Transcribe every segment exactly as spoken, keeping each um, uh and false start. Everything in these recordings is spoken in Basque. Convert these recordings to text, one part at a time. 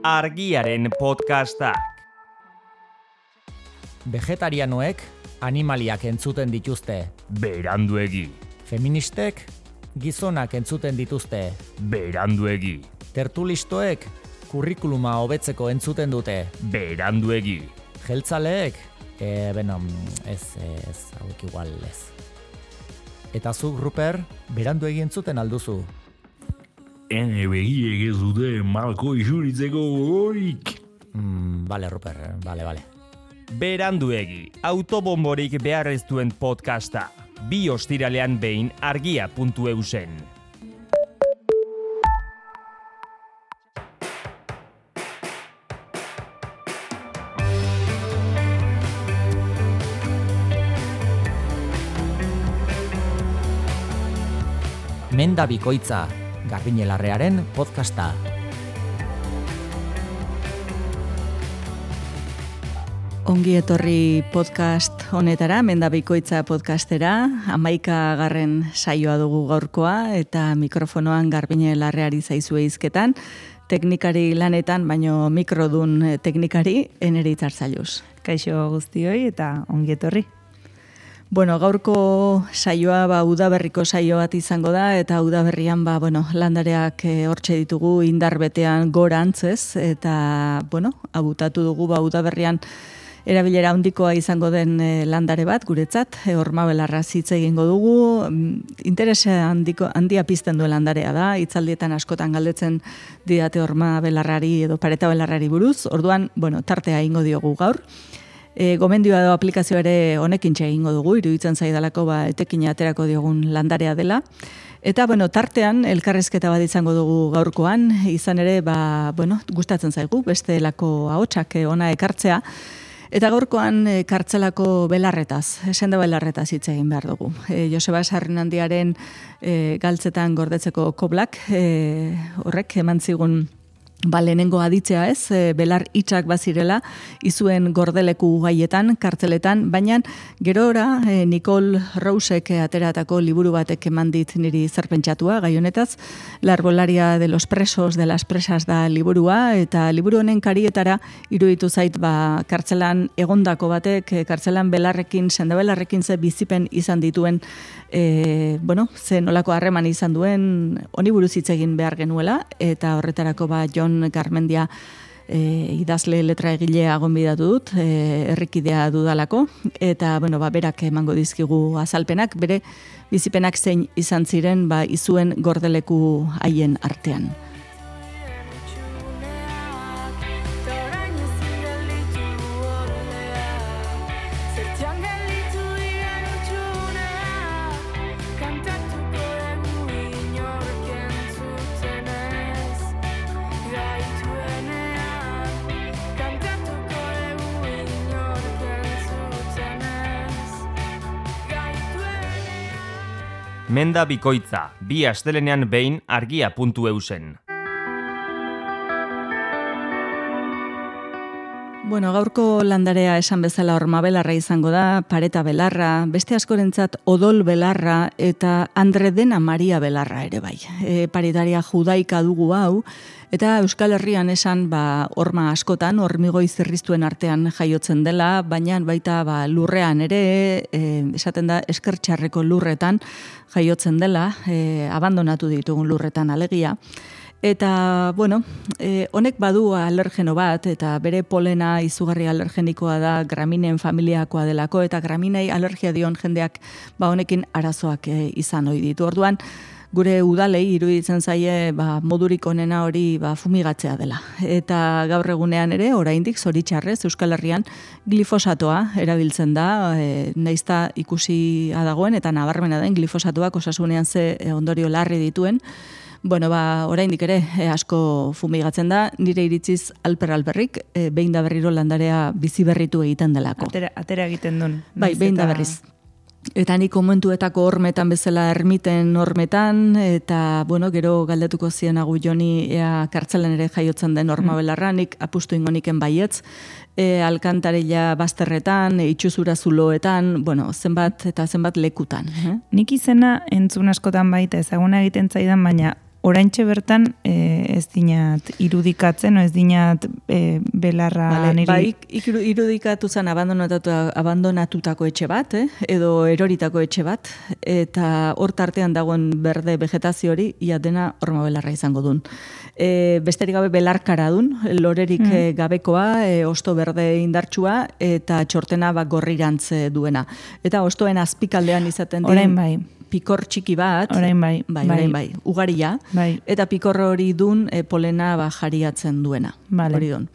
Argiaren podcastak. Vegetarianoek animaliak entzuten dituzte. Beranduegi. Feministek gizonak entzuten dituzte. Beranduegi. Tertulistoek kurrikuluma hobetzeko entzuten dute. Beranduegi. Jeltzaleek, e, beno, ez, ez, hauek igual ez. Eta zuk, Ruper, beranduegi entzuten alduzu. Ene begiek ez dute malko isuritzeko gogorik. Mm, bale, Ruper, bale, bale. Beranduegi, autobomborik behar ez duen podcasta. Bi ostiralean behin argia puntu eusen. Menda bikoitza, Garbiñelarrearen podcasta. Ongi etorri podcast honetara, Menda bikoitza podcastera, hamaikagarren saioa dugu gaurkoa, eta mikrofonoan Garbiñelarreari zaizue hizketan, teknikari lanetan, baino mikrodun teknikari, Eneri Itzartzailuz. Kaixo guztioi eta ongi etorri. Bueno, gaurko saioa ba udaberriko saio bat izango da eta udaberrian ba bueno, landareak e, hortxe ditugu indar betean gorantzez eta bueno, abutatu dugu ba udaberrian erabilera handikoa izango den e, landare bat guretzat, e, hormabelarra hitz egingo dugu. Interesa handiko handia pizten duen landarea da, hitzaldietan askotan galdetzen didate hormabelarrari edo paretabelarrari buruz. Orduan, bueno, tartea egingo diogu gaur. E, gomendioa edo aplikazioa ere honekin egingo dugu, iruditzen zaidalako ba, etekina aterako diogun landarea dela. Eta, bueno, tartean, elkarrezketa bat izango dugu gaurkoan, izan ere, ba, bueno, gustatzen zaigu, beste lako ahotsak ona ekartzea. Eta gaurkoan e, kartzelako belarretaz, senda belarretaz hitz egin behar dugu. E, Joseba Sarrinandiaren e, galtzetan gordetzeko koblak, e, horrek eman zigun Ba, lehenengo aditzea ez, e, belar itxak bazirela, izuen gordeleku gaietan, kartzeletan, baina gero ora, e, Nicole Rousek ateratako liburu batek eman dit niri zerpentsatua, gai honetaz, La arbolaria de los presos, de las presas da liburua, eta liburu honen karietara iruditu zait, ba, kartzelan egondako batek, e, kartzelan belarrekin, sendabelarrekin ze bizipen izan dituen, e, bueno, ze nolako harreman izan duen, honi buruz hitz egin behar genuela, eta horretarako ba, Jon Garmendia e, idazle letra egilea gonbidatu dut, e, herrikidea dudalako, eta bueno, ba, berak emango dizkigu azalpenak, bere bizipenak zein izan ziren ba, izuen gordeleku haien artean. Menda bikoitza, bi astelenean behin argia puntu eusen. Bueno, gaurko landarea esan bezala hormabelarra izango da, pareta belarra, beste askorentzat odol belarra eta Andre Dena Maria belarra ere bai. E, paritaria judaika dugu hau, eta Euskal Herrian esan ba, horma askotan, hormigoi zerriztuen artean jaiotzen dela, baina baita ba, lurrean ere, e, esaten da eskertxarreko lurretan jaiotzen dela, e, abandonatu ditugun lurretan alegia. Eta, bueno, eh, honek badu alergeno bat, eta bere polena izugarri alergenikoa da graminen familiakoa delako, eta graminei alergia dion jendeak ba honekin arazoak eh, izan ohi ditu. Orduan, gure udalei iruditzen zaie ba, modurik onena hori ba, fumigatzea dela. Eta gaur egunean ere, oraindik zoritxarrez, Euskal Herrian glifosatoa erabiltzen da, e, naizta ikusi dagoen, eta nabarmena den glifosatoak osasunean ze ondorio larri dituen. Bueno, ba, oraindik ere e, asko fumigatzen da, nire iritziz alper-alperrik, e, behin da berriro landarea bizi berritu egiten delako. Atera, atera egiten duen. Bai, behin da berriz. Eta nik komentuetako hormetan bezala ermiten hormetan, eta, bueno, gero galdetuko zienagu Joni ea kartzelen ere jaiotzen den hormabelarra, nik apustu ingoniken baietz, e, alkantarilla bazterretan, e, itxuzura zuloetan, bueno, zenbat eta zenbat lekutan. Eh? Nik izena entzun askotan baita ezaguna egiten zaidan, baina oraintxe bertan e, ez dinat irudikatzen, o ez dinat e, belarra Vale, niri... bai, ikiru- irudikatu zen abandonatu, abandonatutako etxe bat, eh? edo eroritako etxe bat, eta hor tartean dagoen berde vegetazio hori, ia dena horma belarra izango dun. E, besterik gabe belarkara dun, lorerik mm. e, gabekoa, e, osto berde indartsua, eta txortena ba, gorrirantz duena. Eta ostoen azpikaldean izaten din... Orain bai. Pikor txiki bat, Orain bai, bai, bai. orain bai, ugaria, Bai. eta pikor hori dun e, polena ba, jariatzen duena. Vale. Hori dun.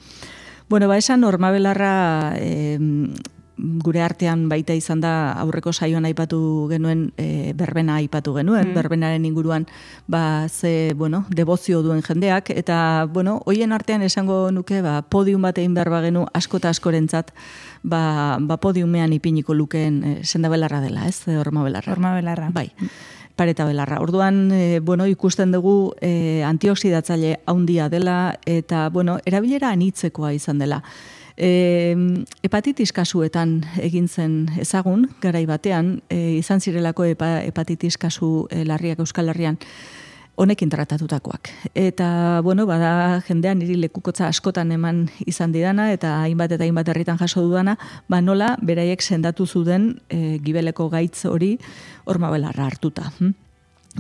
Bueno, ba, esan hormabelarra e, gure artean baita izan da aurreko saioan aipatu genuen, e, berbena aipatu genuen, mm. berbenaren inguruan ba, ze, bueno, debozio duen jendeak, eta, bueno, hoien artean esango nuke, ba, podium bat egin behar bagenu asko eta askorentzat, ba, ba podiumean ipiniko lukeen e, sendabelarra dela, ez, hormabelarra. Hormabelarra. Bai. Pareta belarra. Orduan, e, bueno, ikusten dugu e, antioxidatzaile handia dela eta, bueno, erabilera anitzekoa izan dela. E, hepatitis kasuetan egin zen ezagun, garai batean, e, izan zirelako hepa, hepatitis kasu e, larriak Euskal Herrian honekin tratatutakoak. Eta, bueno, bada jendean niri lekukotza askotan eman izan didana, eta hainbat eta hainbat herritan jaso dudana, ba nola beraiek sendatu zuden e, gibeleko gaitz hori hormabelarra hartuta. Hm?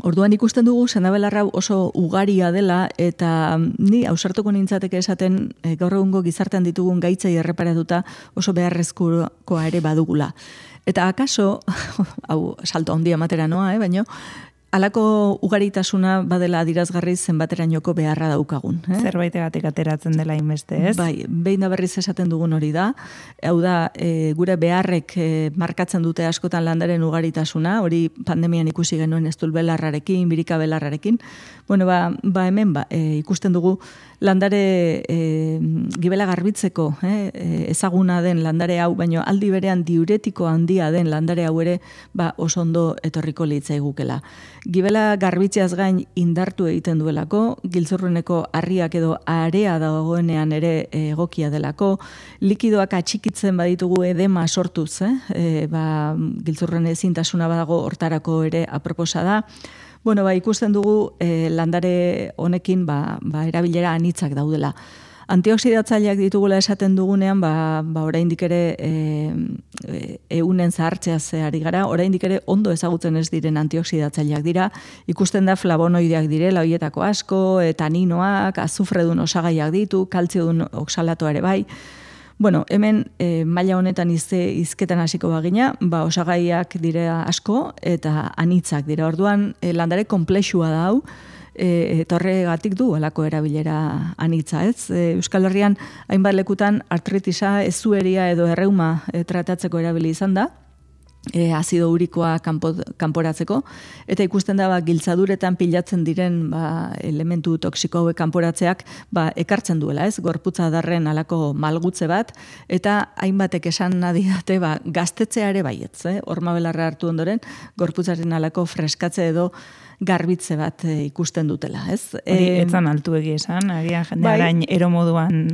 Orduan ikusten dugu sendabelarra oso ugaria dela, eta ni ausartuko nintzateke esaten e, gaur egungo gizartean ditugun gaitzei erreparatuta oso beharrezkoa ere badugula. Eta akaso, hau salto handia matera noa, eh, baino, halako ugaritasuna badela adirazgarri zenbaterainoko beharra daukagun. Eh? Zerbaitegatik ateratzen dela inbeste, ez? Bai, behin da berriz esaten dugun hori da. Hau da, e, gure beharrek e, markatzen dute askotan landaren ugaritasuna, hori pandemian ikusi genuen eztulbelarrarekin, birikabelarrarekin. Bueno, ba, ba hemen ba, e, ikusten dugu landare e, gibela garbitzeko eh, ezaguna den landare hau, baino aldi berean diuretiko handia den landare hau ere ba, oso ondo etorriko litzaigukela. Gibela garbitzeaz gain indartu egiten duelako, giltzurruneko harriak edo area dagoenean ere egokia delako, likidoak atxikitzen baditugu edema sortuz, eh? E, ba, giltzurrun ezintasuna badago hortarako ere aproposa da. Bueno, ba, ikusten dugu eh, landare honekin ba, ba, erabilera anitzak daudela. Antioxidatzaileak ditugula esaten dugunean, ba, ba oraindik ere e, e, eunen zahartzeaz ari gara, oraindik ere ondo ezagutzen ez diren antioxidatzaileak dira, ikusten da flavonoideak direla, hoietako asko, taninoak, azufredun osagaiak ditu, kaltziodun oxalatoa ere bai. Bueno, hemen e, maila honetan izte, izketan hasiko bagina, ba, osagaiak dira asko eta anitzak dira. Orduan, e, landare komplexua da hau, e, eta horregatik du alako erabilera anitza, ez? E, Euskal Herrian hainbat lekutan artritisa, ezueria edo erreuma e, tratatzeko erabili izan da, E, azido urikoa kanpo, kanporatzeko, eta ikusten da ba, giltzaduretan pilatzen diren ba, elementu toksiko hauek kanporatzeak ba, ekartzen duela, ez? Gorputza darren alako malgutze bat, eta hainbatek esan nadidate ba, gaztetzea ere baietz, eh? Hormabelarra hartu ondoren, gorputzaren alako freskatze edo garbitze bat e, ikusten dutela, ez? Hori, etzan altu egi esan, agian jende bai, arain ero moduan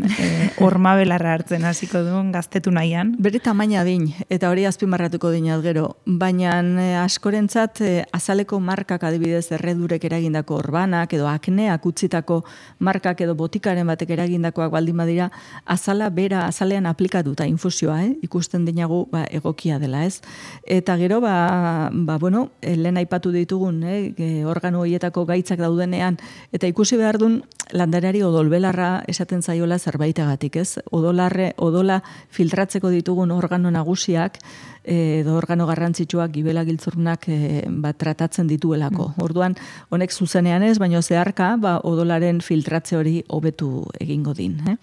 hormabelarra hartzen hasiko duen gaztetu nahian. Bere tamaina din, eta hori azpimarratuko dinat gero, baina e, askorentzat e, azaleko markak adibidez erredurek eragindako orbanak, edo akneak utzitako markak edo botikaren batek eragindakoak baldin badira, azala bera, azalean aplikatuta infusioa, eh? Ikusten dinagu ba, egokia dela, ez? Eta gero, ba, ba bueno, lehen aipatu ditugun, eh? Organo horietako gaitzak daudenean, eta ikusi behar duen landareari odolbelarra esaten zaiola zerbaitegatik, ez? Odolarre, odola filtratzeko ditugun organo nagusiak, edo organo garrantzitsuak gibela giltzurrunak e, ba, tratatzen dituelako. Mm. Orduan, honek zuzenean ez, baina zeharka, ba, odolaren filtratze hori hobetu egingo din, eh?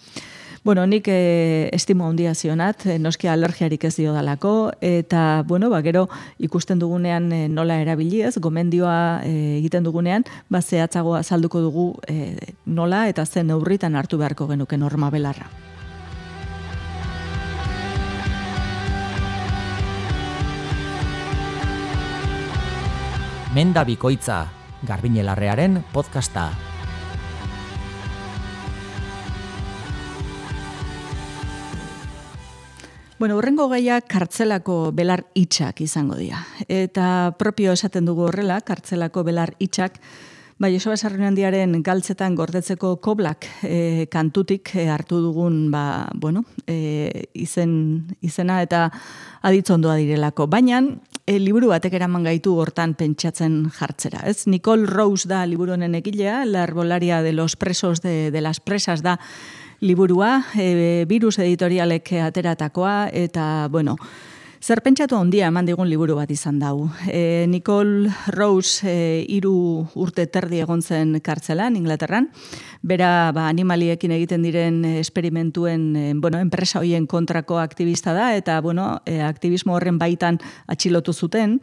Bueno, nik e, estimo handia zionat, e, noski alergiarik ez dio dalako, eta, bueno, ba, gero ikusten dugunean e, nola erabili ez, gomendioa e, egiten dugunean, ba, zehatzago azalduko dugu e, nola eta zen neurritan hartu beharko genuke hormabelarra. Menda bikoitza, Garbiñelarrearen podcasta. Bueno, horrengo gaia kartzelako belar itxak izango dira. Eta propio esaten dugu horrela, kartzelako belar itxak, Ba, Joseba Sarriunandiaren galtzetan gordetzeko koblak e, kantutik e, hartu dugun ba, bueno, e, izen, izena eta aditzondoa direlako. Baina, e, liburu batek eraman gaitu hortan pentsatzen jartzera. Ez? Nicole Rose da liburu honen egilea, La arbolaria de los presos de, de las presas da liburua, e, Virus editorialek ateratakoa, eta, bueno, zer pentsatu handia eman digun liburu bat izan dau. E, Nicole Rose e, hiru urte terdi egon zen kartzelan, Inglaterran. Bera ba, animaliekin egiten diren esperimentuen e, bueno, enpresa hoien kontrako aktivista da, eta bueno, e, aktivismo horren baitan atxilotu zuten.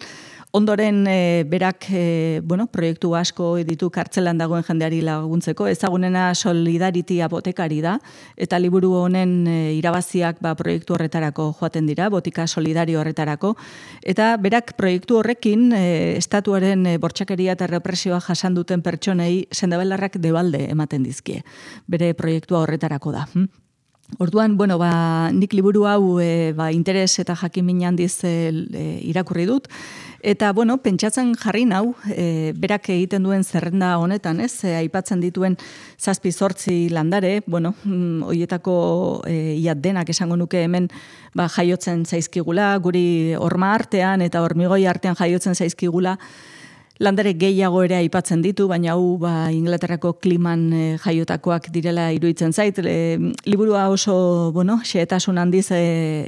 Ondoren, e, berak e, bueno, proiektu asko ditu kartzelan dagoen jendeari laguntzeko, ezagunena Solidarity apotekari da, eta liburu honen e, irabaziak ba, proiektu horretarako joaten dira, botika solidario horretarako, eta berak proiektu horrekin e, estatuaren e, bortxakeria eta represioa jasan duten pertsonei sendabelarrak debalde ematen dizkie. Bere proiektua horretarako da. Hm? Orduan, bueno, ba, nik liburu hau e, ba, interes eta jakin handiz e, irakurri dut, eta, bueno, pentsatzen jarri nau, e, berak egiten duen zerrenda honetan, ez, e, aipatzen dituen zazpi zortzi landare, bueno, mm, hoietako e, iat denak esango nuke hemen ba, jaiotzen zaizkigula, guri horma artean eta hormigoi artean jaiotzen zaizkigula, landare gehiago ere aipatzen ditu, baina hau ba, Inglaterrako kliman e, jaiotakoak direla iruditzen zait. E, liburua oso, bueno, xehetasun handiz e,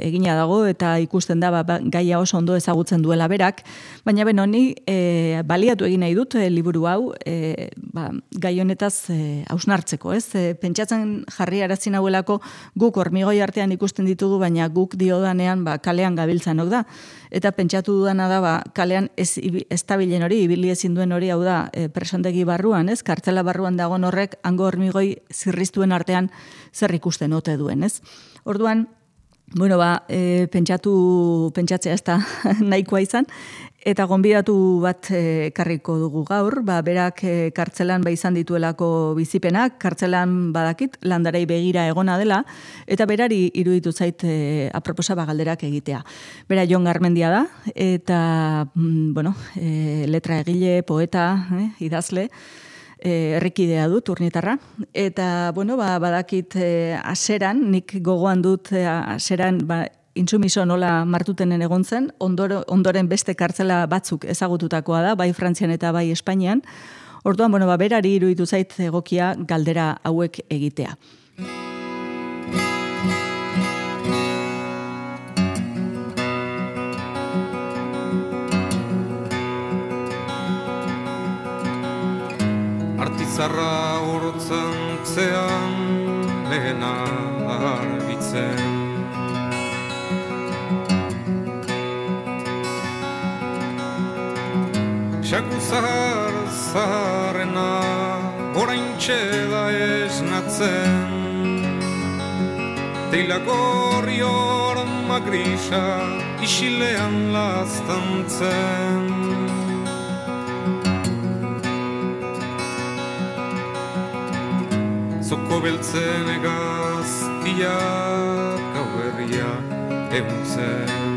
egina dago eta ikusten da ba, gaia oso ondo ezagutzen duela berak, baina ben honi e, baliatu egin nahi dut e, liburu hau e, ba, gai honetaz e, hausnartzeko, ez? E, pentsatzen jarri arazi nauelako guk hormigoi artean ikusten ditugu, baina guk diodanean ba, kalean gabiltzanok da. Eta pentsatu dudana da, ba, kalean ez, ez tabilen hori, ibili ezin duen hori, hau da, e, presondegi barruan, ez? Kartzela barruan dagoen horrek, hango hormigoi zirriztuen artean zer ikusten ote duen, ez? Orduan, bueno, ba, e, pentsatu, pentsatzea ez da nahikoa izan, eta gonbidatu bat e, karriko dugu gaur, ba, berak e, kartzelan ba izan dituelako bizipenak, kartzelan badakit, landarei begira egona dela, eta berari iruditu zait e, aproposa ba galderak egitea. Bera Jon Garmendia da, eta, mm, bueno, e, letra egile, poeta, eh, idazle, E, errikidea dut, urnitarra. Eta, bueno, ba, badakit e, aseran, nik gogoan dut e, aseran, ba, intsumiso nola martutenen egon zen, ondoro, ondoren beste kartzela batzuk ezagututakoa da, bai Frantzian eta bai Espainian. Orduan, bueno, ba, berari iruditu zait egokia galdera hauek egitea. Artizarra urtzen zean lehena argitzen. Xaku zahar zaharrena oraintxe da esnatzen. Teilako horri horma grisa isilean laztantzen. Zoko beltzen egaztiak gauerria euntzen.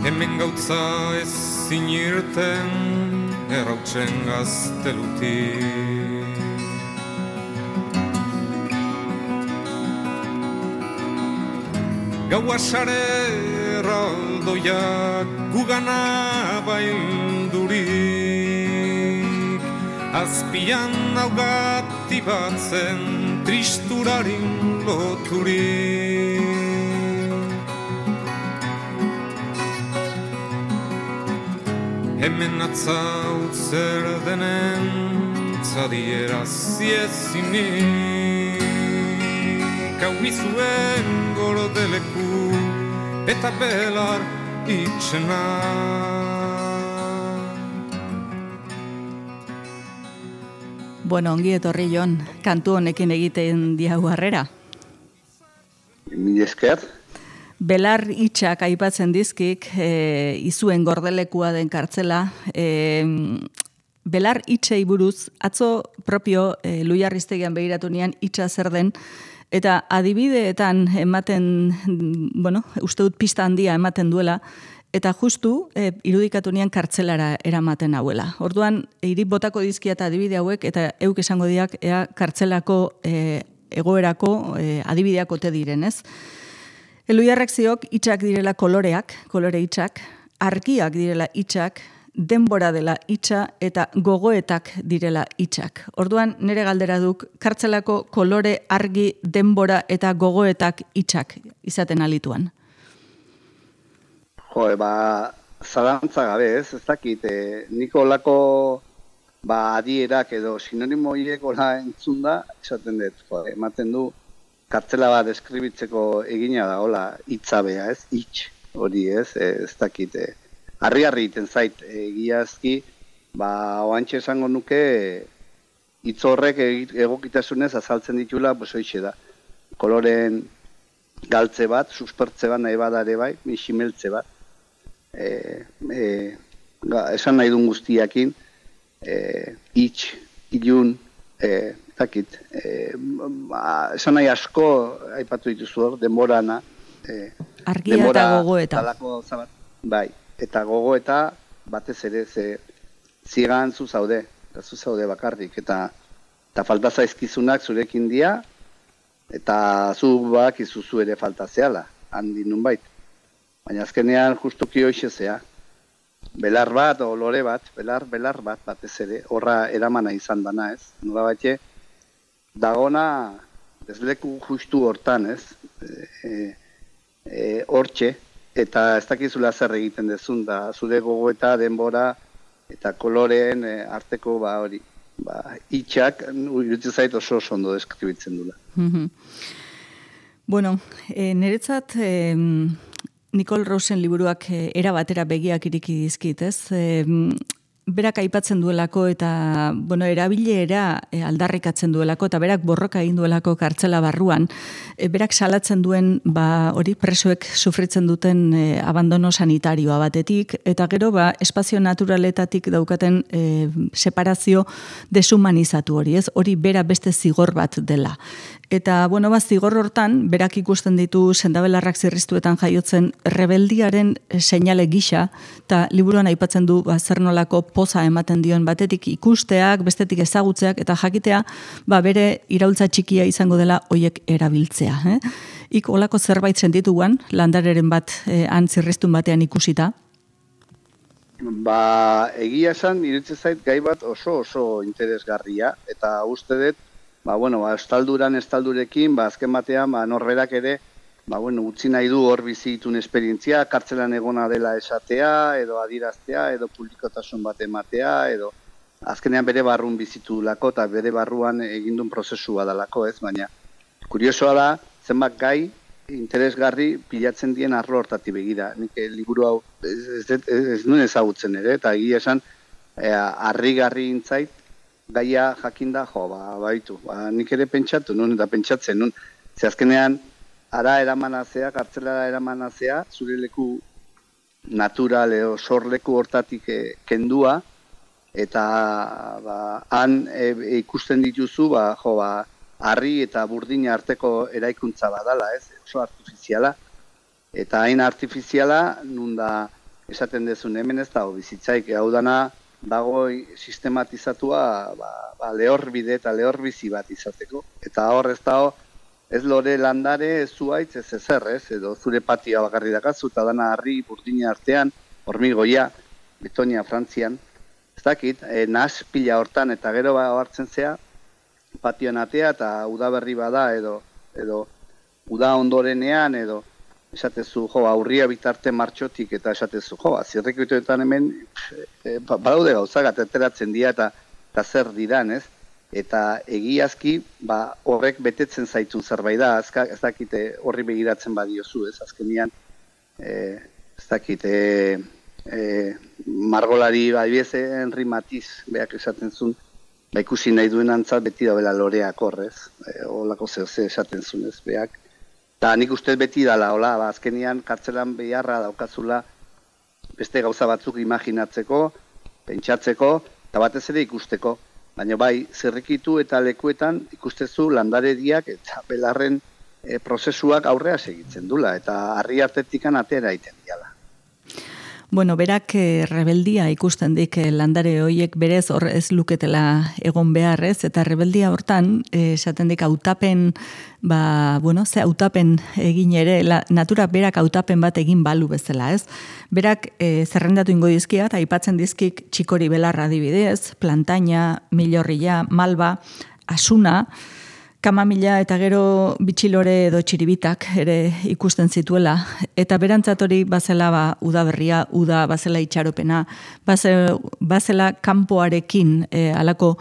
Hemen gautza ez zinirten errautzen gaztelutik. Gaua sare erraldoiak gugana baildurik, azpian naugati batzen tristurarin loturik. Hemen atzaut zer denen zadiera ziezinik, hau izuen gorodeleku eta belar itxena. Bueno, ongi etorri Jon, kantu honekin egiten diagu harrera. Mi esker. Belar itxak aipatzen dizkik, e, izuen gordelekua den kartzela, e, belar itxei buruz, atzo propio e, Luiarriztegian begiratu nian itxa zer den, eta adibideetan ematen, bueno, uste dut pista handia ematen duela, eta justu e, irudikatu nian kartzelara eramaten hauela. Orduan, hiri botako dizkia eta adibide hauek, eta euk esango diak, ea kartzelako e, egoerako e, adibideak ote diren, ez? Eluiarrak ziok hitzak direla koloreak, kolore hitzak, argiak direla hitzak, denbora dela hitza eta gogoetak direla hitzak. Orduan nire galdera duk kartzelako kolore, argi, denbora eta gogoetak hitzak izaten alituan. Jo, ba, zalantza gabe ez, ez dakit, e, niko olako ba, adierak edo sinonimo horiek ola entzun da, esaten dut, jo, ematen du, kartzela bat deskribitzeko egina da, hola, hitzabea ez, hitz hori ez, e, ez dakit, e, harri-harri iten zait, egiazki, ba, oantxe esango nuke, hitz horrek egokitasunez azaltzen ditula, pues hoixe da, koloren galtze bat, suspertze bat nahi badare bai, misimeltze bat, e, e, ga, esan nahi duen guztiakin, e, hitz, ilun, e, dakit, e, ba, esan nahi asko aipatu dituzu hor, denborana, e, argia eta gogoeta. Talako zabat, bai. Eta gogoeta batez ere ze zigan zu zaude, eta zu zaude bakarrik, eta eta falta zaizkizunak zurekin dia, eta zu bak izuzu ere falta zehala, handi nunbait. Baina azkenean justuki hoxe zea, belar bat, o lore bat, belar, belar bat batez ere, horra eramana izan dana ez, nola batxe, dagona desleku justu hortan ez, e, e, hortxe, eta ez dakizula zer egiten dezun, da zure gogoeta, denbora eta koloreen e, arteko ba hori, ba hitxak iruditzen zait oso oso ondo deskribitzen dula. Mm-hmm. Bueno, e, niretzat e, Nicole Rosen liburuak e, era batera begiak iriki dizkit, ez? E, berak aipatzen duelako eta bueno, erabilera e, aldarrikatzen duelako eta berak borroka egin duelako kartzela barruan, e, berak salatzen duen ba hori presoek sufritzen duten e, abandono sanitarioa batetik eta gero ba espazio naturaletatik daukaten e, separazio deshumanizatu hori, ez? Hori bera beste zigor bat dela. Eta, bueno, ba, zigor hortan, berak ikusten ditu sendabelarrak zirriztuetan jaiotzen rebeldiaren seinale gisa, eta liburuan aipatzen du ba, zer nolako poza ematen dion batetik ikusteak, bestetik ezagutzeak, eta jakitea, ba, bere iraultza txikia izango dela hoiek erabiltzea. Eh? Ik olako zerbait sentituan, landareren bat eh, han zirriztun batean ikusita? Ba, egia esan, iruditzen zait gai bat oso oso interesgarria, eta uste dut, ba, bueno, ba, estalduran, estaldurekin, ba, azken batean, ba, norberak ere, ba, bueno, utzi nahi du hor bizitun esperientzia, kartzelan egona dela esatea, edo adiraztea, edo publikotasun bat ematea, edo azkenean bere barrun bizitu lako, eta bere barruan egindun prozesua dalako, ez, baina, kuriosoa da, zenbat gai, interesgarri pilatzen dien arlo hortati begira. Nik liburu hau ez, ez, ez, ez nuen ezagutzen ere, eta egia esan, e, harrigarri intzait, gaia jakinda, jo, ba, baitu, ba, nik ere pentsatu, nun, eta pentsatzen, nun, ze azkenean, ara eramanazea, kartzelara eramanazea, zure leku natural edo sorleku hortatik e, kendua, eta ba, han e, e, ikusten dituzu, ba, jo, ba, harri eta burdina arteko eraikuntza badala, ez, oso artifiziala, eta hain artifiziala, nun da, esaten dezun hemen ez dago bizitzaik, hau dana, dago sistematizatua ba, ba, lehorbide eta lehorbizi bat izateko. Eta hor ez dago, ez lore landare, ez zuaitz, ez ezer, ez, edo zure patioa bakarri dakazu, eta dana harri burdina artean, hormigoia, Betonia, Frantzian, ez dakit, e, nahaz pila hortan, eta gero ba, hartzen zea, patioan atea, eta udaberri bada, edo, edo uda ondorenean, edo, esatezu, jo, aurria bitarte martxotik, eta esatezu, jo, zirrikituetan hemen, e, badaude gauzak, ateratzen dira, eta, eta zer diran, ez? Eta egiazki, ba, horrek betetzen zaitun zerbait da, azka, ez dakite horri begiratzen badiozu, ez? Azkenian, e, ez dakite, e, margolari, adibidez, Henri Matisse, beak esaten zuen, ba, ikusi nahi duen antzat beti dabela loreak horrez, e, holako zehose esaten zuen, ez, beak. Eta nik uste beti dala, hola, ba, azkenian kartzelan beharra daukazula beste gauza batzuk imaginatzeko, pentsatzeko, eta batez ere ikusteko. Baina bai, zirrikitu eta lekuetan ikustezu landarediak eta belarren e, prozesuak aurrea segitzen dula, eta harri artetikan atera iten diala. Bueno, berak eh, rebeldia ikusten dik eh, landare hoiek berez hor ez luketela egon beharrez, eta rebeldia hortan eh, esaten dik hautapen, ba, bueno, ze hautapen egin ere, la, natura berak hautapen bat egin balu bezala, ez? Berak eh, zerrendatu ingo dizkia, eta aipatzen dizkik txikori belarra adibidez, plantaina, milorria, malba, asuna, kamamila eta gero bitxilore edo txiribitak ere ikusten zituela. Eta berantzat hori bazela ba, udaberria, uda, bazela itxaropena, bazela, bazela kanpoarekin e, alako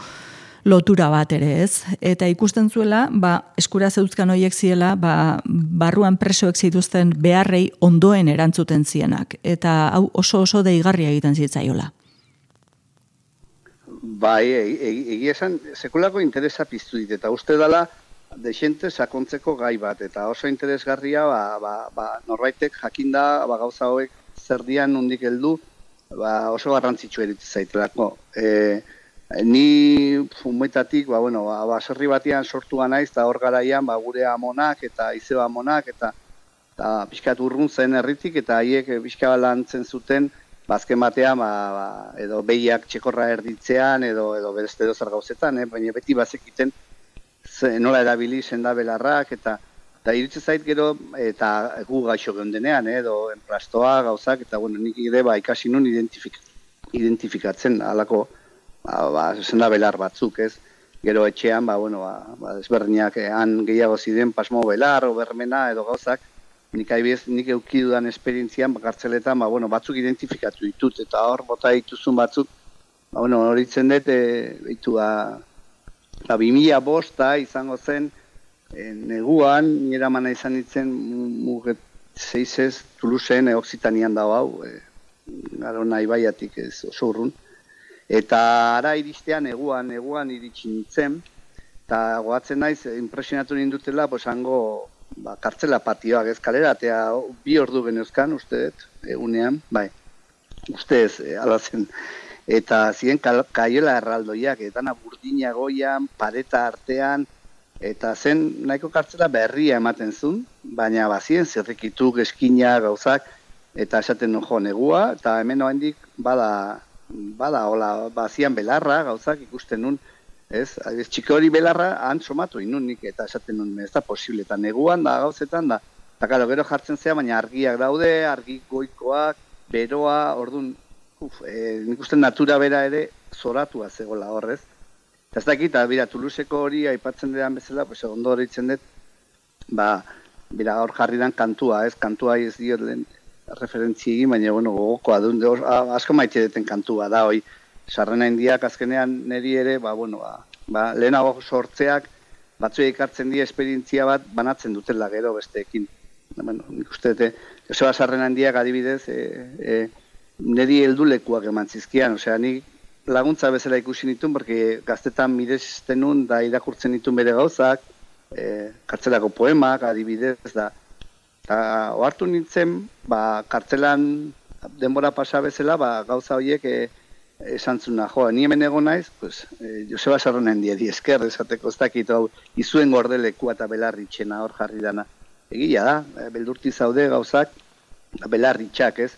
lotura bat ere ez. Eta ikusten zuela, ba, eskura zeuzkan horiek ziela, ba, barruan presoek zituzten beharrei ondoen erantzuten zienak. Eta hau oso oso deigarria egiten zitzaiola. Bai, egia esan, sekulako interesa piztu dit, eta uste dela desente sakontzeko gai bat, eta oso interesgarria, ba, ba, ba, norbaitek jakinda ba, gauza hauek zer dian nondik heldu, ba, oso garrantzitsu eritz zaitelako. E, ni fumoitatik, ba, bueno, ba, baserri batean sortua naiz, eta hor garaian ba, gure amonak eta izeba amonak, eta, eta pixkat urrun zen herritik, eta haiek pixka lantzen zuten, bazken batean, ba, ba, edo behiak txekorra erditzean, edo, edo beste edo zer gauzetan, eh? Baina beti bazekiten ze, nola erabili senda belarrak, eta, eta iritsi zait gero, eta gu gaixo geundenean, eh? Edo enplastoa gauzak, eta bueno, nik ere ba, ikasi nun identifik, identifikatzen alako ba, ba, senda belar batzuk, ez? Gero etxean, ba, bueno, ba, ba, ezberdinak, eh, han gehiago ziren pasmo belar, obermena, edo gauzak, nik aibiez, nik eukidudan esperientzian, kartzeletan, ba, bueno, batzuk identifikatu ditut, eta hor, bota dituzun batzuk, ba, bueno, horitzen dut, e, behitu, ba, ba, bi mila bosta izango zen, e, neguan, nire mana izan ditzen, muget zeizez, Toulouseen, e, Oksitanian dago hau, e, garo nahi baiatik ez oso urrun, eta ara iristean, neguan, neguan iritsi nintzen, eta goatzen naiz, impresionatu nindutela, pues, hango, ba, kartzela patioak ez kalera, eta bi ordu genezkan, uste dut, egunean, bai, uste ez, e, ala zen, eta ziren kaiela erraldoiak, eta burdina goian, pareta artean, eta zen nahiko kartzela berria ematen zuen, baina bazien zirrikituk, eskina, gauzak, eta esaten nun jo negua, eta hemen oendik bada, bada, hola, bazian belarra, gauzak ikusten nun, ez, txiki hori belarra han somatu inun nik, eta esaten nun, ez da posible, eta neguan da, gauzetan da, eta gero gero jartzen zea, baina argiak daude, argi goikoak, beroa, orduan, uf, e, nik uste natura bera ere zoratua zegoela horrez. Eta ez dakit, bera, Toulouseko hori aipatzen dedan bezala, pues, ondo horitzen dut, ba, bera, hor jarri dan kantua, ez, kantua ez diot lehen referentzi egin, baina, bueno, gogokoa duen, asko maite duten kantua da, hoi, sarrena indiak azkenean niri ere, ba, bueno, ba, ba, lehenago sortzeak batzuei ekartzen die esperientzia bat banatzen dutela gero besteekin. Bueno, nik uste dute, Joseba sarrena indiak adibidez, e, e, niri heldulekuak eman zizkian, osea, ni laguntza bezala ikusi nituen, porque gaztetan miresten nun, da irakurtzen nituen bere gauzak, e, kartzelako poemak adibidez, da, eta ohartu nintzen, ba, kartzelan denbora pasa bezala, ba, gauza horiek, e, esan zuna, jo, ni hemen egon naiz, pues, eh, Joseba Sarrona hendia di esker, esateko ez dakit, hau, izuen gordelekua eta belarritxena hor jarri dana. Egia da, e, beldurti zaude gauzak, belarritxak, ez?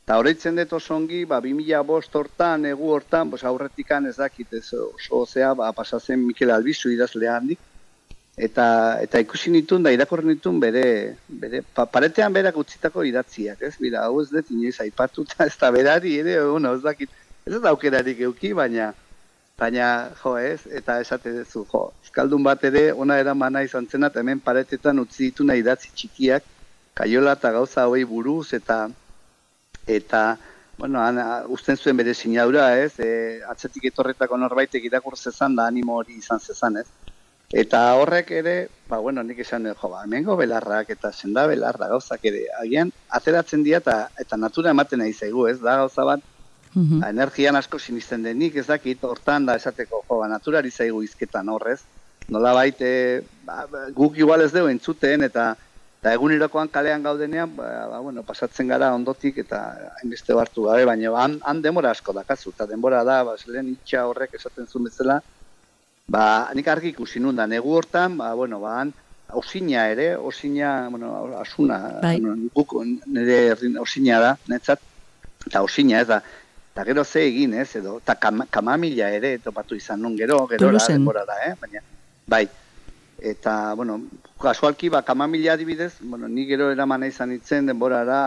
Eta horreitzen dut osongi, ba, bi mila bost hortan, egu hortan, pues, aurretikan ez dakit, ez oso zea, ba, pasazen Mikel Albizu idazlea handik, eta, eta ikusi nituen, da irakorren nituen bere, bere pa, paretean berak utzitako idatziak, ez? Bira, hau ez dut inoiz aipatuta, ez da berari ere, bueno, ez dakit, ez da aukerarik euki, baina, baina, jo ez, eta esate duzu, jo, euskaldun bat ere, ona eramana izan zena, eta hemen paretetan utzi ditu nahi idatzi txikiak, kaiola eta gauza hoi buruz, eta, eta, bueno, ana, usten zuen bere sinadura, ez, e, atzetik etorretako norbaitek irakur zezan, da animo hori izan zezan, ez. Eta horrek ere, ba, bueno, nik esan, jo, ba, hemengo belarrak, eta senda belarra gauzak ere, agian, ateratzen dira, eta, eta natura ematen nahi zaigu, ez, da gauza bat, Mm-hmm. Energian asko sinisten denik, ez dakit, hortan da esateko, jo, ba, naturari zaigu izketan horrez. Nola baite, ba, guk igual ez dugu entzuten, eta, eta egunerokoan kalean gaudenean, ba, ba, bueno, pasatzen gara ondotik, eta hainbeste hartu gabe, baina han, han denbora asko dakazu, eta denbora da, ba, lehen itxa horrek esaten zuen bezala, ba, nik argi ikusi nun da, negu hortan, ba, bueno, ba, han, osina ere, osina, bueno, asuna, bai. Bueno, guk nire osina da, netzat, eta osina ez da, eta gero ze egin ez, edo, eta kam, kamamila ere topatu izan nun, gero, gero, denbora da, eh? Baina, bai, eta, bueno, kasualki, ba, kamamila adibidez, bueno, ni gero eramana izan itzen denborara,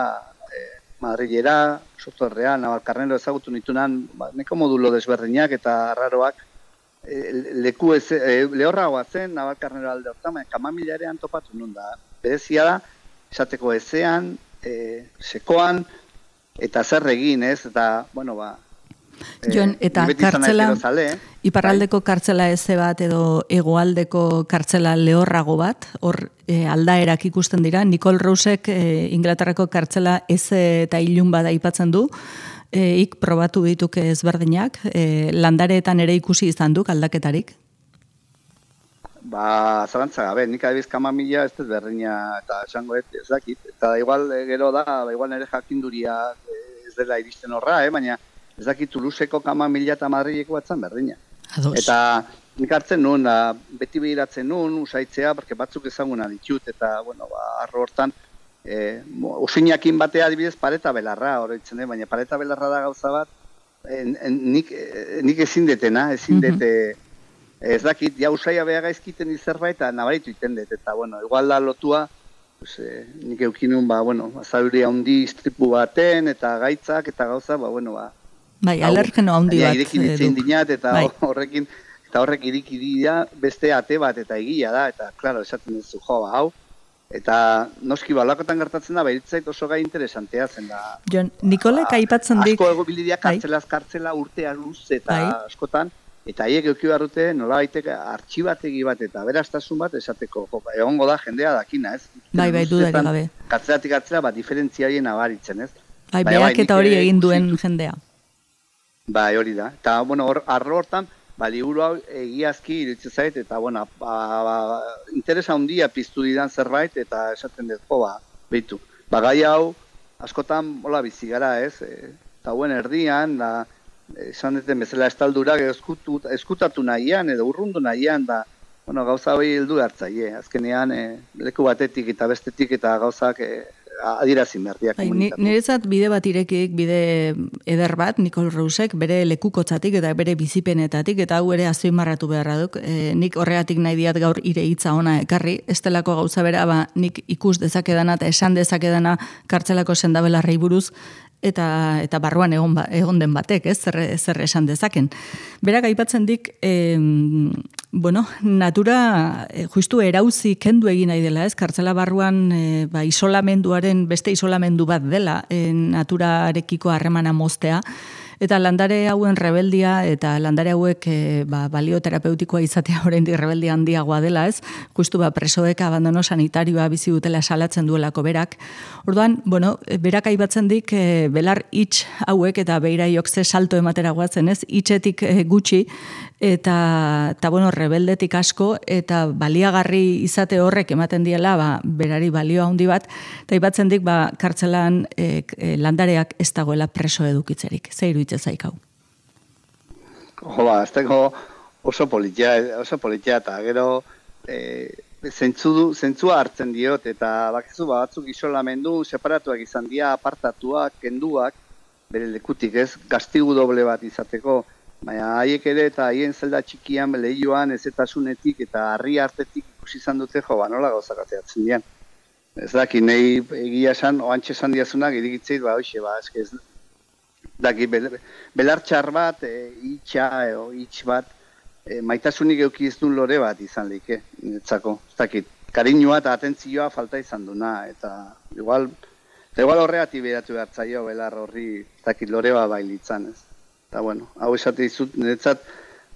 eh, Madrilera, Sotorrea, Navalkarnero ezagutu nitunan, ba, neko modulo desberdinak eta arraroak, eh, leku ez, eh, lehorragoa zen, Navalkarnero alde hortan, kamamila ere topatu nun da, berezia da, esateko ezean, eh, sekoan, eta zer egin, ez, eta, bueno, ba... Jon, eta kartzela, iparraldeko kartzela eze bat edo hegoaldeko kartzela lehorrago bat, hor e, aldaerak ikusten dira, Nicole Rousek e, Inglaterrako kartzela eze eta ilun bat aipatzen du, e, ik probatu dituke ezberdinak, e, landareetan ere ikusi izan duk aldaketarik? Ba, zalantza gabe, nik adibiz kamamila ez berdina eta esango ez, ez dakit. Eta igual gero da, ba, igual nire jakinduria ez dela iristen horra, eh? Baina ez dakit Toulouseko kamamila eta Madrileko batzan berdina. Ados. Eta nik hartzen nun, da, beti behiratzen nun, usaitzea, porque batzuk ezaguna ditut, eta, bueno, ba, arro hortan, eh, osinakin batea adibidez pareta belarra, horretzen, eh? Baina pareta belarra da gauza bat, en, en, nik, eh, nik ezin detena, ezin dete, ez dakit, ja usaia beha gaizkiten izerbait, eta nabaritu iten dut, eta, bueno, igual da lotua, pues, eh, nik eukinun, ba, bueno, azauria handi istripu baten, eta gaitzak, eta gauza, ba, bueno, ba. Bai, alergeno handi bat. Irekin itzen dinat, eta bai. horrekin, eta horrek iriki dira beste ate bat, eta egia da, eta, klaro, esaten duzu, jo, ba, hau, eta noski balakotan gertatzen da, behitzait oso gai interesantea zen da. Jon, Nikolek aipatzen dik... Asko ego bilidia kartzelaz kartzela urtea luz, eta bai. askotan, eta haiek euki barrute nola baiteke artxibategi bat eta beraztasun bat esateko. Egongo da jendea dakina, ez? Bai, bai, dudarik gabe. Katzelatik katzela bat diferentzia horien abaritzen, ez? Bai, beak eta hori egin duen jendea. Bai, hori da. Eta, bueno, hor, arro hortan, ba, liburu hau egiazki iritsi zait, eta, bueno, ba, ba, interesa handia piztu didan zerbait, eta esaten dut, jo, ba, behitu. Ba, gai hau, askotan, hola, bizi gara, ez? Eta hauen erdian, da, esan duten bezala estaldurak eskutatu nahian edo urrundu nahian da, bueno, gauza hori heldu hartzaile. Azkenean e, leku batetik eta bestetik eta gauzak e, adierazin berdiak komunikatu. Niretzat bide bat irekik, bide eder bat, Nicole Rousek, bere lekukotzatik eta bere bizipenetatik, eta hau ere azpimarratu beharra duk. E, nik horregatik nahi diat gaur ire hitza ona ekarri, estelako gauza bera, ba, nik ikus dezakedana eta esan dezakedana kartzelako sendabelarrei buruz, eta eta barruan egon ba, egon den batek, ez, zer, zer esan dezaken. Berak aipatzen dik, e, bueno, natura e, justu erauzi kendu egin nahi dela, ez, kartzela barruan e, ba, isolamenduaren beste isolamendu bat dela, e, naturarekiko harremana moztea, eta landare hauen rebeldia eta landare hauek e, ba, balioterapeutikoa izatea oraindik rebeldia handiagoa dela, ez? Justu ba presoek abandono sanitarioa bizi dutela salatzen duelako berak. Orduan, bueno, berak aipatzen dik e, belar hitz hauek eta beiraiok ze salto ematera goatzen, ez? Hitzetik e, gutxi eta eta bueno, rebeldetik asko eta baliagarri izate horrek ematen diela, ba, berari balio handi bat, eta aipatzen dik ba kartzelan e, e, landareak ez dagoela preso edukitzerik. Ze iruditzen zaikau? Jo, ba, ez dago oso politia, oso politia, eta gero e, zentzu, zentzua hartzen diot, eta bakizu ba, batzuk isolamendu, separatuak izan dira, apartatuak, kenduak, bere lekutik ez, gastigu doble bat izateko, baina haiek ere eta haien zelda txikian lehioan ezetasunetik eta harri artetik ikusi izan dute, jo, ba, nola gauzak ateatzen dian. Ez daki, nahi egia esan, oantxe esan diazunak, irigitzeit, ba, hoxe, ba, eske ez, daki, belartxar bat, e, itxa, e, itx bat, e, maitasunik euki ez duen lore bat izan lehike, niretzako. Ez dakit, kariñua eta atentzioa falta izan duna, eta igual, eta igual horreati beratu behartzaio, belar horri, ez dakit, lore bat bailitzan, ez. Eta, bueno, hau esate dizut, niretzat,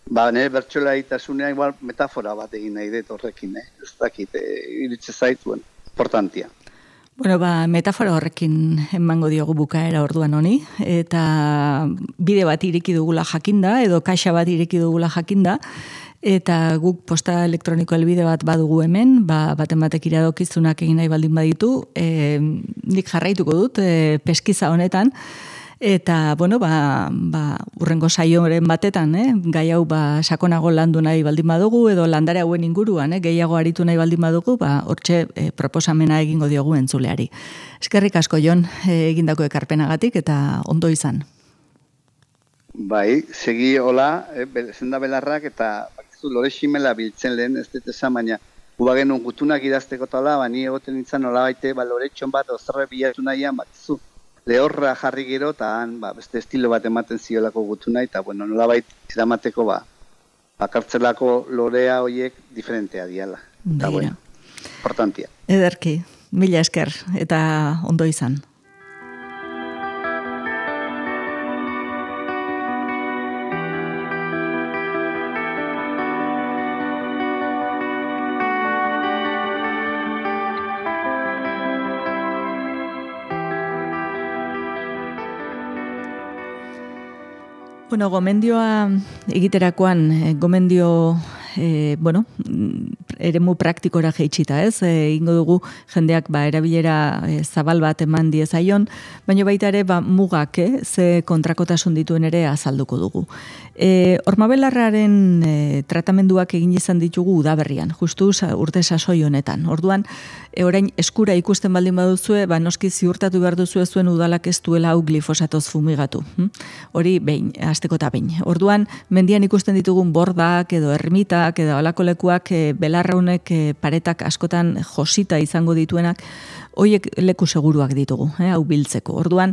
ba, nire bertxola egitasunea igual metafora bat egin nahi dut horrekin, eh? Ez dakit, e, iritze zait, bueno, importantia. Bueno, ba, metafora horrekin emango diogu bukaera orduan honi, eta bide bat ireki dugula jakinda, edo kaxa bat ireki dugula jakinda, eta guk posta elektroniko helbide bat badugu hemen, ba, baten batek iradokizunak egin nahi baldin baditu, e, nik jarraituko dut, e, peskiza honetan, Eta, bueno, ba, ba, urrengo saioren batetan, eh, gai hau ba, sakonago landu nahi baldin badugu, edo landare hauen inguruan, eh, gehiago aritu nahi baldin badugu, ba, hortxe eh, proposamena egingo diogu entzuleari. Eskerrik asko, Jon, eh, egindako ekarpenagatik, eta ondo izan. Bai, segi hola, eh, zenda belarrak, eta bakizu lore ximela biltzen lehen, ez dut esan, baina guba genuen gutunak idazteko tala, bani egoten nintzen nola baite, ba, loretxon bat, ozerre bilatu nahian, bakizu, lehorra jarri gero, eta han, ba, beste estilo bat ematen ziolako gutuna, eta, bueno, nola bait, ziramateko, ba, bakartzelako lorea horiek diferentea diala. Eta, bueno, importantia. Ederki, mila esker, eta ondo izan. Bueno, gomendioa egiterakoan, gomendio, e, bueno, eremu praktikora jeitsita, ez? E, ingo dugu jendeak ba, erabilera e, zabal bat eman diezaion, baina baita ere ba, mugak, eh, ze kontrakotasun dituen ere azalduko dugu. E, Ormabelarraren e, tratamenduak egin izan ditugu udaberrian, justu urte sasoi honetan. Orduan, e, orain eskura ikusten baldin baduzue, ba, noski ziurtatu behar duzue zuen udalak ez duela hau glifosatoz fumigatu. Hm? Hori behin, hasteko eta behin. Orduan, mendian ikusten ditugun bordak edo ermitak edo alako lekuak e, belarraunek e, paretak askotan josita izango dituenak, hoiek leku seguruak ditugu, eh, hau biltzeko. Orduan,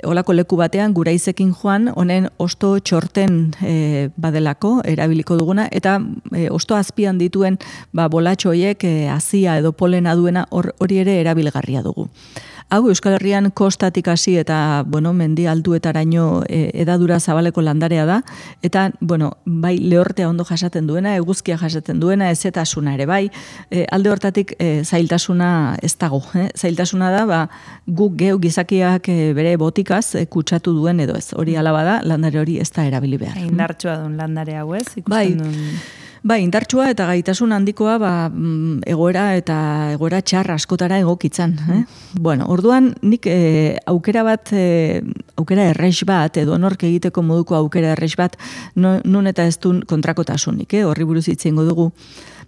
olako leku batean guraizekin joan, honen osto txorten e, badelako, erabiliko duguna, eta e, osto azpian dituen ba, bolatxo hoiek e, azia edo polena duena hori ere erabilgarria dugu. Hau, Euskal Herrian kostatik hasi eta, bueno, mendi altuetaraino e, edadura zabaleko landarea da, eta, bueno, bai lehortea ondo jasaten duena, eguzkia jasaten duena, ezetasuna ere bai, e, alde hortatik e, zailtasuna ez dago, eh? Zailtasuna da, ba, guk geu gizakiak e, bere botikaz e, kutsatu duen edo ez, hori alaba da, landare hori ez da erabili behar. Indartsua duen landare hau ez, ikusten bai. duen... Bai, indartsua eta gaitasun handikoa ba, egoera eta egoera txar askotara egokitzan. Eh? Bueno, orduan nik e, aukera bat, e, aukera errex bat, edo nork egiteko moduko aukera errex bat, no, nun eta ez duen kontrakotasunik, eh? Horri buruz hitzengo dugu.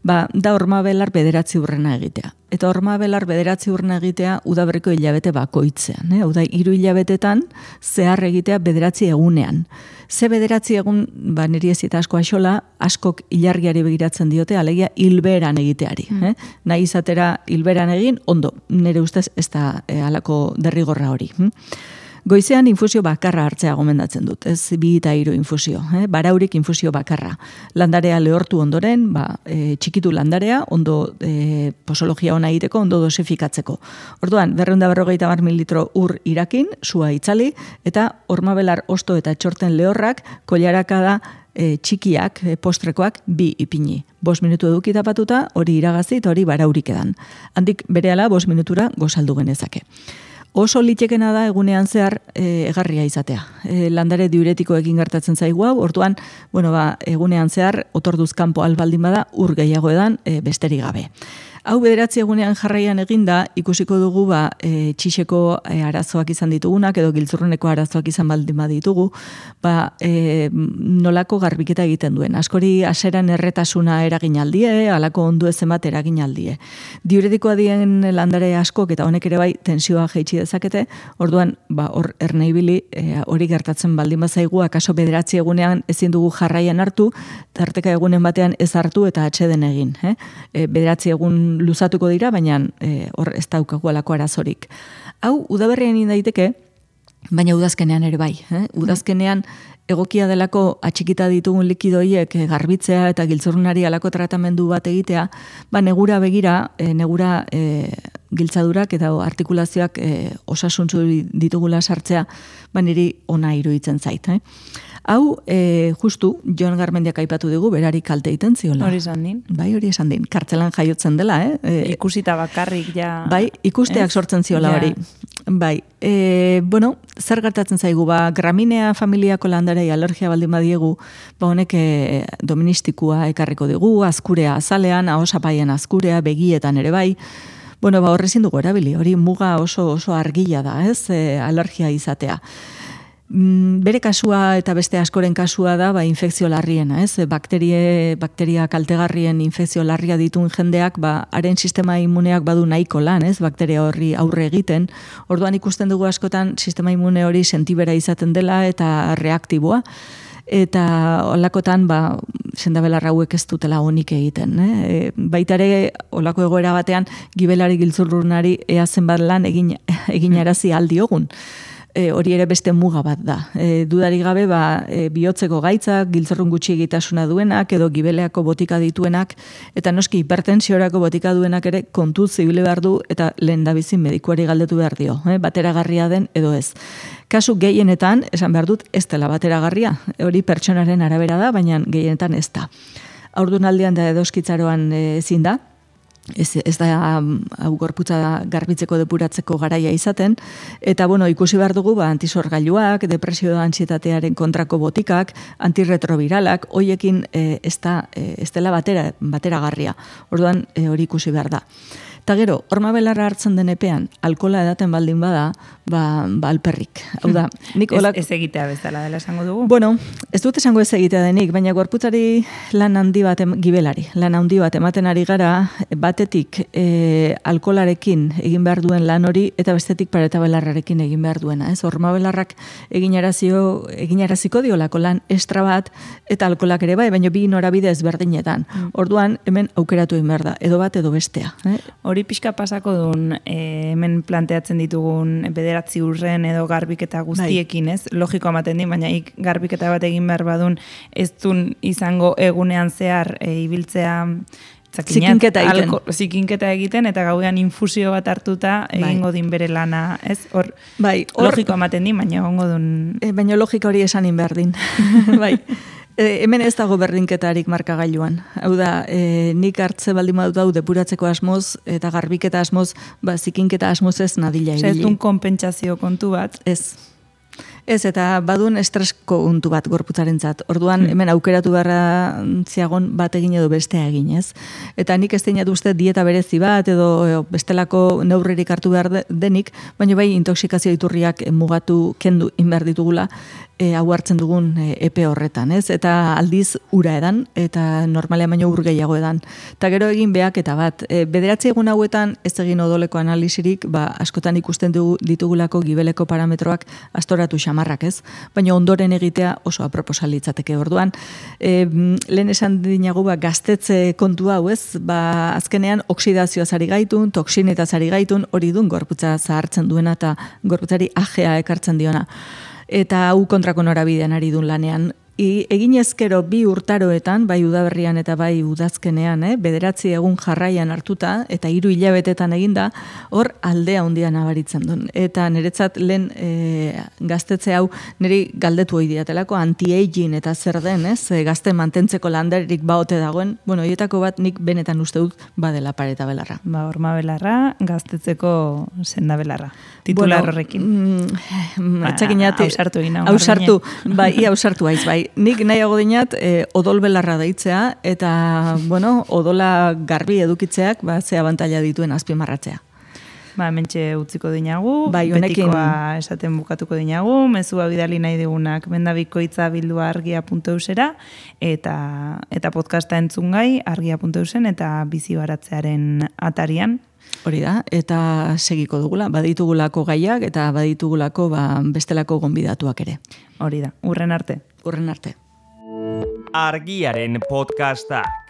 Ba, da ormabelar bederatzi urrena egitea. Eta ormabelar bederatzi urrena egitea udaberriko hilabete bakoitzean. Eh? Hau da, hiru hilabetetan zehar egitea bederatzi egunean. Ze bederatzi egun, ba, niri ez eta asko axola, askok ilargiari begiratzen diote, alegia hilberan egiteari. Eh? Nahi izatera hilberan egin, ondo, nire ustez ez da eh, alako derrigorra hori. Hm? Goizean infusio bakarra hartzea gomendatzen dut, ez bi eta hiru infusio, eh? Baraurik infusio bakarra. Landarea lehortu ondoren, ba, e, txikitu landarea, ondo e, posologia ona egiteko, ondo dosifikatzeko. Orduan, berrehun eta berrogeita hamar mililitro ur irakin, sua itzali, eta ormabelar osto eta txorten lehorrak, koilaraka da e, txikiak, e, postrekoak, bi ipini. Bost minutu eduki tapatuta, hori iragazi eta hori baraurik edan. Handik berehala, bost minutura gozaldu genezake. Oso litekena da egunean zehar e, egarria izatea. E, landare diuretikoekin gertatzen zaigu hau, orduan, bueno, ba, egunean zehar otorduz kanpo albaldin bada ur gehiago edan e, besterik gabe. Hau bederatzi egunean jarraian eginda, ikusiko dugu ba, e, txixeko e, arazoak izan ditugunak, edo giltzurruneko arazoak izan baldin baditugu, ba, e, nolako garbiketa egiten duen. Askori aseran erretasuna eragin aldie, alako ondu ezen bat eragin aldie. Diuretikoa dien landare askok, eta honek ere bai tensioa jeitsi dezakete, orduan, ba, hor erneibili, e, hori gertatzen baldin bazaigu, akaso bederatzi egunean ezin dugu jarraian hartu, tarteka egunen batean ez hartu eta atxeden egin. Eh? E, bederatzi egun luzatuko dira, baina e, hor ez daukagu alako arazorik. Hau, udaberrian daiteke, baina udazkenean ere bai. Eh? Udazkenean egokia delako atxikita ditugun likidoiek garbitzea eta giltzurrunari alako tratamendu bat egitea, ba negura begira, e, negura e, giltzadurak eta artikulazioak e, osasuntzu ditugula sartzea, ba niri ona iruditzen zait. Eh? Hau, e, justu, Jon Garmendiak aipatu dugu, berari kalte egiten ziola. Hori esan din. Bai, hori esan din. Kartzelan jaiotzen dela, eh? E, Ikusita bakarrik, ja... Bai, ikusteak ez? sortzen ziola Ja. hori. Bai, e, bueno, zer gertatzen zaigu, ba, graminea familiako landarei alergia baldin badiegu, ba, honek e, doministikua ekarriko dugu, azkurea azalean, ahosapaien azkurea, begietan ere bai, bueno, ba, horrezin dugu erabili, hori muga oso oso argila da, ez, e, alergia izatea. Bere kasua eta beste askoren kasua da ba, infekzio larriena, ez? Bakterie, bakteria kaltegarrien infekzio larria dituen jendeak, ba, haren sistema immuneak badu nahiko lan, ez? Bakteria horri aurre egiten. Orduan ikusten dugu askotan sistema immune hori sentibera izaten dela eta reaktiboa. Eta olakotan, ba, sendabelar hauek ez dutela onik egiten. Eh? Baita ere, olako egoera batean, gibelari giltzurrunari ea zenbat lan egin, egin arazi aldiogun. E, hori ere beste muga bat da. E, dudari gabe, ba, e, bihotzeko gaitzak, giltzurrun gutxi egitasuna duenak, edo gibeleako botika dituenak, eta noski hipertensiorako botika duenak ere kontu zibile behar du, eta lehen dabizin medikuari galdetu behar dio, eh? Bateragarria den edo ez. Kasu gehienetan, esan behar dut, ez dela bateragarria. Hori pertsonaren arabera da, baina gehienetan ez da. Haurdunaldian da edoskitzaroan ezin da, Ez, ez da hau gorputza garbitzeko depuratzeko garaia izaten, eta bueno, ikusi behar dugu ba, antisorgailuak, depresio da antsietatearen kontrako botikak, antirretroviralak, hoiekin e, ez, da, e, ez dela batera, bateragarria. Orduan e, hori ikusi behar da. Eta gero, horma belarra hartzen den epean, alkola edaten baldin bada, ba, ba alperrik. Hau da, nik olak... Ez, ez egitea bezala dela esango dugu? Bueno, ez dut esango ez egitea denik, baina gorputzari lan handi bat, em, gibelari, lan handi bat ematen ari gara, batetik e, alkolarekin egin behar duen lan hori, eta bestetik pareta belarrarekin egin behar duena. Ez? Horma belarrak egin arazio, egin araziko diolako lan estra bat, eta alkolak ere bai, baina bi norabide ezberdinetan. Mm. Orduan, hemen aukeratu egin behar da, edo bat edo bestea. Eh? Hori pixka pasako duen, e, hemen planteatzen ditugun bederatzi urren edo garbiketa guztiekin, ez? Logiko amaten di, baina ik garbiketa bat egin behar badun, ez dun izango egunean zehar e, ibiltzea zikinketa egiten. Alko, zikinketa egiten, eta gaudean infusio bat hartuta egingo din bere lana, ez? Hor, bai, hor, logiko amaten di, baina egongo dun... E, baina logika hori esanin behar din. Bai. E, hemen ez dago berdinketarik markagailuan. Hau da, e, nik hartze baldin badut hau depuratzeko asmoz, eta garbiketa asmoz, ba, zikinketa asmoz ez nadila ibili. Ez dun konpentsazio kontu bat? Ez. Ez, eta badun estresko untu bat gorputzarentzat. Orduan, hemen aukeratu beharra ziagon bat egin edo bestea egin, ez? Eta nik ez deinat uste dieta berezi bat edo bestelako neurririk hartu behar denik, baina bai intoxikazio iturriak mugatu kendu inber ditugula, e, hau hartzen dugun e, epe horretan, ez? Eta aldiz ura edan, eta normalean baino ur gehiago edan. Eta gero egin behak eta bat, e, bederatzi egun hauetan ez egin odoleko analisirik, ba, askotan ikusten dugu ditugulako gibeleko parametroak astoratu xamarrak, ez? Baina ondoren egitea oso aproposa litzateke. Orduan, e, lehen esan dinagu ba, gaztetze kontu hau, ez? Ba, azkenean oksidazioa zari gaitun, toksineta zari gaitun, hori dun gorputza zahartzen duena eta gorputzari ajea ekartzen diona. Eta hau kontrako norabidean ari dun lanean. I, egin ezkero bi urtaroetan, bai udaberrian eta bai udazkenean, eh? Bederatzi egun jarraian hartuta, eta hiru hilabetetan eginda, hor aldea handia nabaritzen duen. Eta niretzat lehen e, gaztetze hau niri galdetu hoi diatelako, anti-aging eta zer den, ez? E, gazte mantentzeko landarik baote dagoen, bueno, hietako bat nik benetan uste dut badela pareta belarra. Ba, horma belarra, gaztetzeko senda belarra. Titular bueno, horrekin. Mm, Atxakinat, hausartu egin. Hausartu, bai, ia hausartu haiz, bai. Nik nahiago dinat e, odol belarra deitzea, eta, bueno, odola garbi edukitzeak, ba, ze abantaila dituen azpimarratzea. Ba, mentxe utziko dinagu, bai, honekin... betikoa esaten bukatuko dinagu, mezua bidali nahi digunak bendabikoitza bildua argia puntu eusera, eta, eta podcasta entzungai argia puntu eusen, eta bizi baratzearen atarian. Hori da, eta segiko dugula, baditugulako gaiak, eta baditugulako ba, bestelako gonbidatuak ere. Hori da, urren arte. Urren arte. Argiaren podcastak.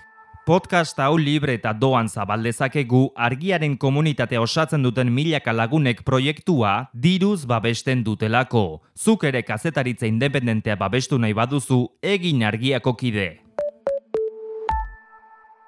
Podcast hau libre eta doan zabaldezakegu argiaren komunitatea osatzen duten milaka lagunek proiektua diruz babesten dutelako. Zuk ere kazetaritza independentea babestu nahi baduzu, egin argiako kide.